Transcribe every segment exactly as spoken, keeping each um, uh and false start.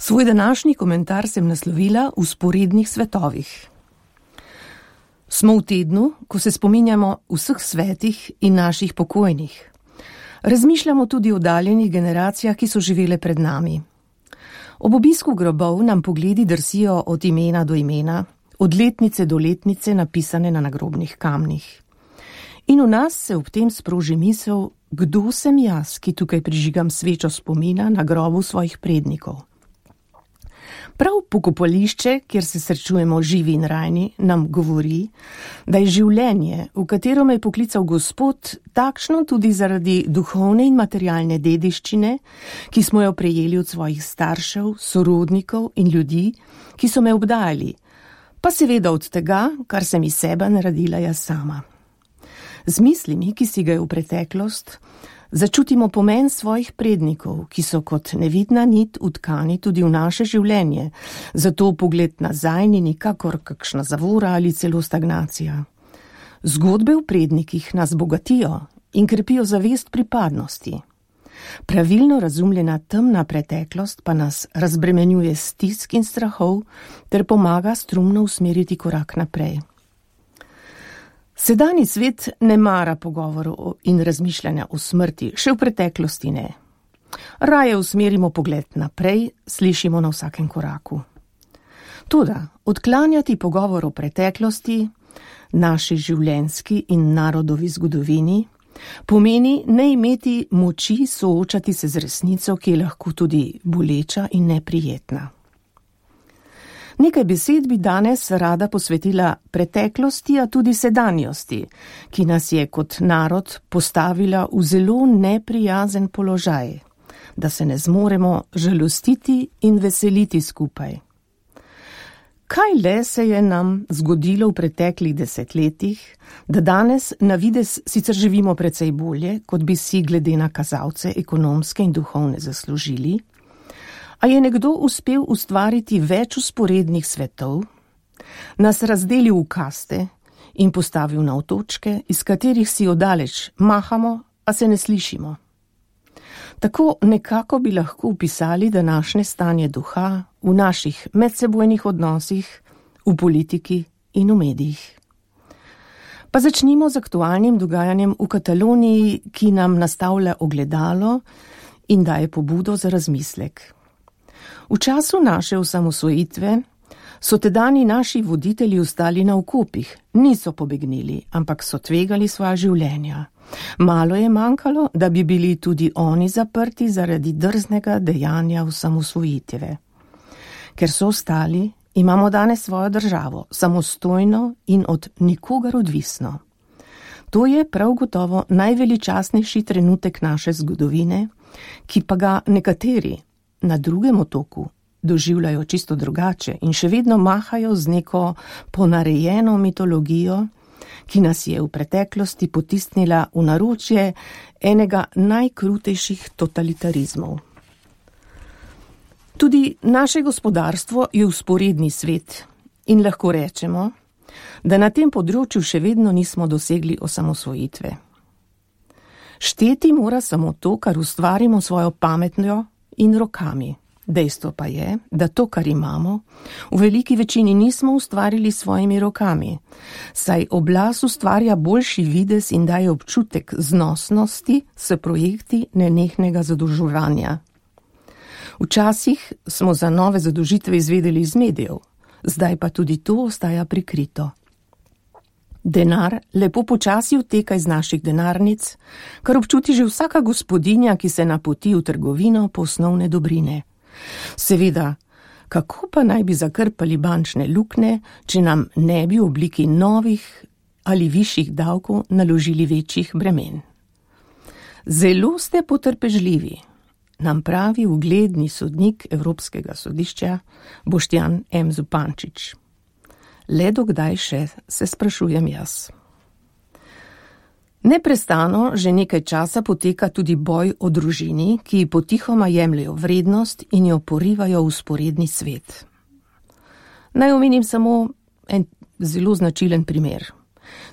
Svoj današnji komentar sem naslovila v Vzporednih svetovih. Smo v tednu, ko se spominjamo vseh svetih in naših pokojnih. Razmišljamo tudi o oddaljenih generacijah, ki so živele pred nami. Ob obisku grobov nam pogledi drsijo od imena do imena, od letnice do letnice napisane na nagrobnih kamnih. In v nas se ob tem sproži misel, kdo sem jaz, ki tukaj prižigam svečo spomina na grobu svojih prednikov. Prav pokopališče, kjer se srečujemo živi in rajni, nam govori, da je življenje, v katero me je poklical Gospod, takšno tudi zaradi duhovne in materialne dediščine, ki smo jo prejeli od svojih staršev, sorodnikov in ljudi, ki so me obdajali, pa seveda od tega, kar sem iz sebe naredila jaz sama. Z mislimi, ki si ga je v preteklost, začutimo pomen svojih prednikov, ki so kot nevidna nit utkani tudi v naše življenje, zato pogled nazaj ni nikakor kakšna zavora ali celo stagnacija. Zgodbe v prednikih nas bogatijo in krepijo zavest pripadnosti. Pravilno razumljena temna preteklost pa nas razbremenjuje stisk in strahov ter pomaga strumno usmeriti korak naprej. Sedanji svet ne mara pogovorov in razmišljanja o smrti, še v preteklosti ne. Raje usmerimo pogled naprej, slišimo na vsakem koraku. Toda odklanjati pogovor o preteklosti, naši življenjski in narodovi zgodovini, pomeni ne imeti moči soočati se z resnico, ki je lahko tudi boleča in neprijetna. Nekaj besed bi danes rada posvetila preteklosti, a tudi sedanjosti, ki nas je kot narod postavila v zelo neprijazen položaj, da se ne zmoremo žalostiti in veseliti skupaj. Kaj le se je nam zgodilo v preteklih desetletjih, da danes na videz sicer živimo precej bolje, kot bi si glede na kazalce ekonomske in duhovne zaslužili, a je nekdo uspel ustvariti več vzporednih svetov, nas razdelil v kaste in postavil na otočke, iz katerih si odaleč mahamo, a se ne slišimo. Tako nekako bi lahko opisali današnje stanje duha v naših medsebojnih odnosih, v politiki in v medijih. Pa začnimo z aktualnim dogajanjem v Kataloniji, ki nam nastavlja ogledalo in daje pobudo za razmislek. V času naše osamosvojitve so tedajni naši voditelji ostali na okopih, niso pobegnili, ampak so tvegali svoja življenja. Malo je manjkalo, da bi bili tudi oni zaprti zaradi drznega dejanja osamosvojitve. Ker so ostali, imamo danes svojo državo, samostojno in od nikogar odvisno. To je prav gotovo najveličastnejši trenutek naše zgodovine, ki pa ga nekateri na drugem otoku doživljajo čisto drugače in še vedno mahajo z neko ponarejeno mitologijo, ki nas je v preteklosti potisnila v naročje enega najkrutejših totalitarizmov. Tudi naše gospodarstvo je vzporedni svet in lahko rečemo, da na tem področju še vedno nismo dosegli osamosvojitve. Šteti mora samo to, kar ustvarimo svojo pametjo in rokami. Dejstvo pa je, da to, kar imamo, v veliki večini nismo ustvarili svojimi rokami, saj oblast ustvarja boljši videz in daje občutek znosnosti s projekti nenehnega zadolževanja. Včasih smo za nove zadolžitve izvedeli iz medijev, zdaj pa tudi to ostaja prikrito. Denar lepo počasi uteka iz naših denarnic, kar občuti že vsaka gospodinja, ki se napoti v trgovino po osnovne dobrine. Seveda, kako pa naj bi zakrpali bančne luknje, če nam ne bi v obliki novih ali višjih davkov naložili večjih bremen? Zelo ste potrpežljivi, nam pravi ugledni sodnik Evropskega sodišča Boštjan M. Zupančič. Le dokdaj še, se sprašujem jaz. Neprestano že nekaj časa poteka tudi boj o družini, ki potihoma jemljejo vrednost in jo porivajo v vzporedni svet. Naj omenim samo en zelo značilen primer.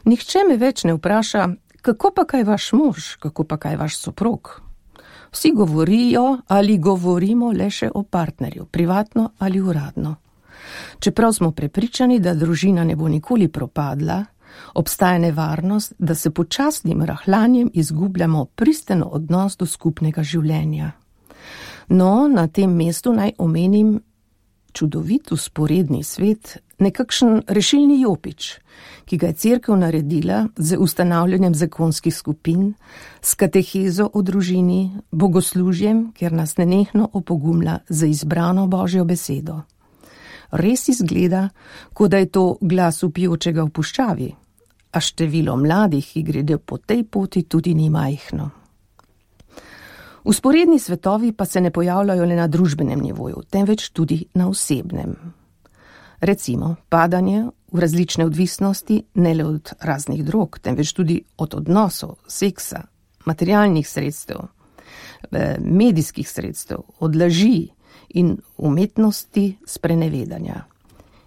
Nihče me več ne vpraša, kako pa kaj vaš mož, kako pa kaj vaš soprog. Vsi govorijo ali govorimo le še o partnerju, privatno ali uradno. Čeprav smo prepričani, da družina ne bo nikoli propadla, obstaja nevarnost, da se počasnim rahljanjem izgubljamo pristno odnos do skupnega življenja. No, na tem mestu naj omenim čudovit usporedni svet, nekakšen rešilni jopič, ki ga je cerkev naredila z ustanavljanjem zakonskih skupin, s katehezo o družini, bogoslužjem, kjer nas nenehno opogumlja za izbrano Božjo besedo. Res izgleda, kot da je to glas vpijočega v puščavi, a število mladih, ki gredo po tej poti, tudi ni majhno. Usporedni svetovi pa se ne pojavljajo le na družbenem nivoju, temveč tudi na osebnem. Recimo, padanje v različne odvisnosti ne le od raznih drog, temveč tudi od odnosov, seksa, materialnih sredstev, medijskih sredstev, od laži in umetnosti sprenevedanja.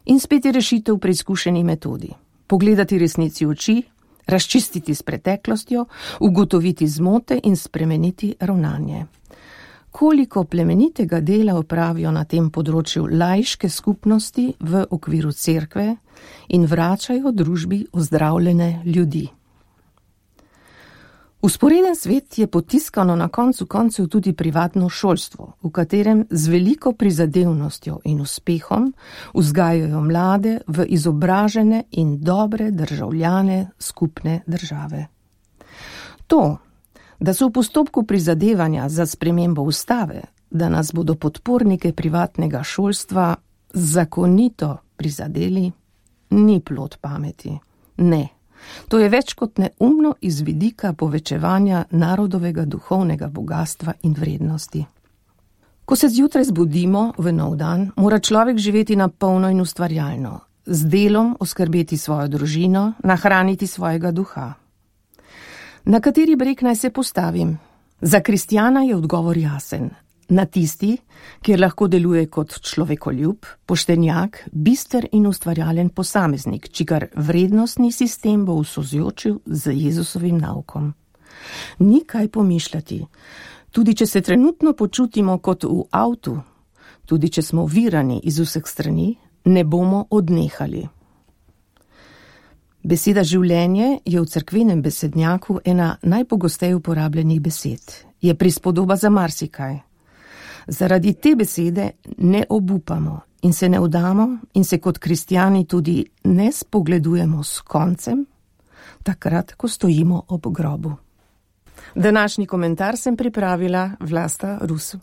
In spet je rešitev v preizkušeni metodi. Pogledati resnici v oči, razčistiti s preteklostjo, ugotoviti zmote in spremeniti ravnanje. Koliko plemenitega dela opravijo na tem področju laiške skupnosti v okviru cerkve in vračajo družbi ozdravljene ljudi. Usporeden svet je potiskano na koncu koncev tudi privatno šolstvo, v katerem z veliko prizadevnostjo in uspehom vzgajajo mlade v izobražene in dobre državljane skupne države. To, da so v postopku prizadevanja za spremembo ustave, da nas bodo podpornike privatnega šolstva zakonito prizadeli, ni plod pameti, ne. To je več kot neumno iz vidika povečevanja narodovega duhovnega bogatstva in vrednosti. Ko se zjutraj zbudimo v nov dan, mora človek živeti napolno in ustvarjalno, z delom oskrbeti svojo družino, nahraniti svojega duha. Na kateri breg naj se postavim? Za kristjana je odgovor jasen. Na tisti, kjer lahko deluje kot človekoljub, poštenjak, bister in ustvarjalen posameznik, čigar vrednostni sistem bo v sozvočju z Jezusovim naukom. Ni kaj pomišljati. Tudi če se trenutno počutimo kot v avtu, tudi če smo ovirani iz vseh strani, ne bomo odnehali. Beseda življenje je v cerkvenem besednjaku ena najpogosteje uporabljenih besed. Je prispodoba za marsikaj. Zaradi te besede ne obupamo in se ne vdamo in se kot kristjani tudi ne spogledujemo s koncem, takrat, ko stojimo ob grobu. Današnji komentar sem pripravila Vlasta Rus.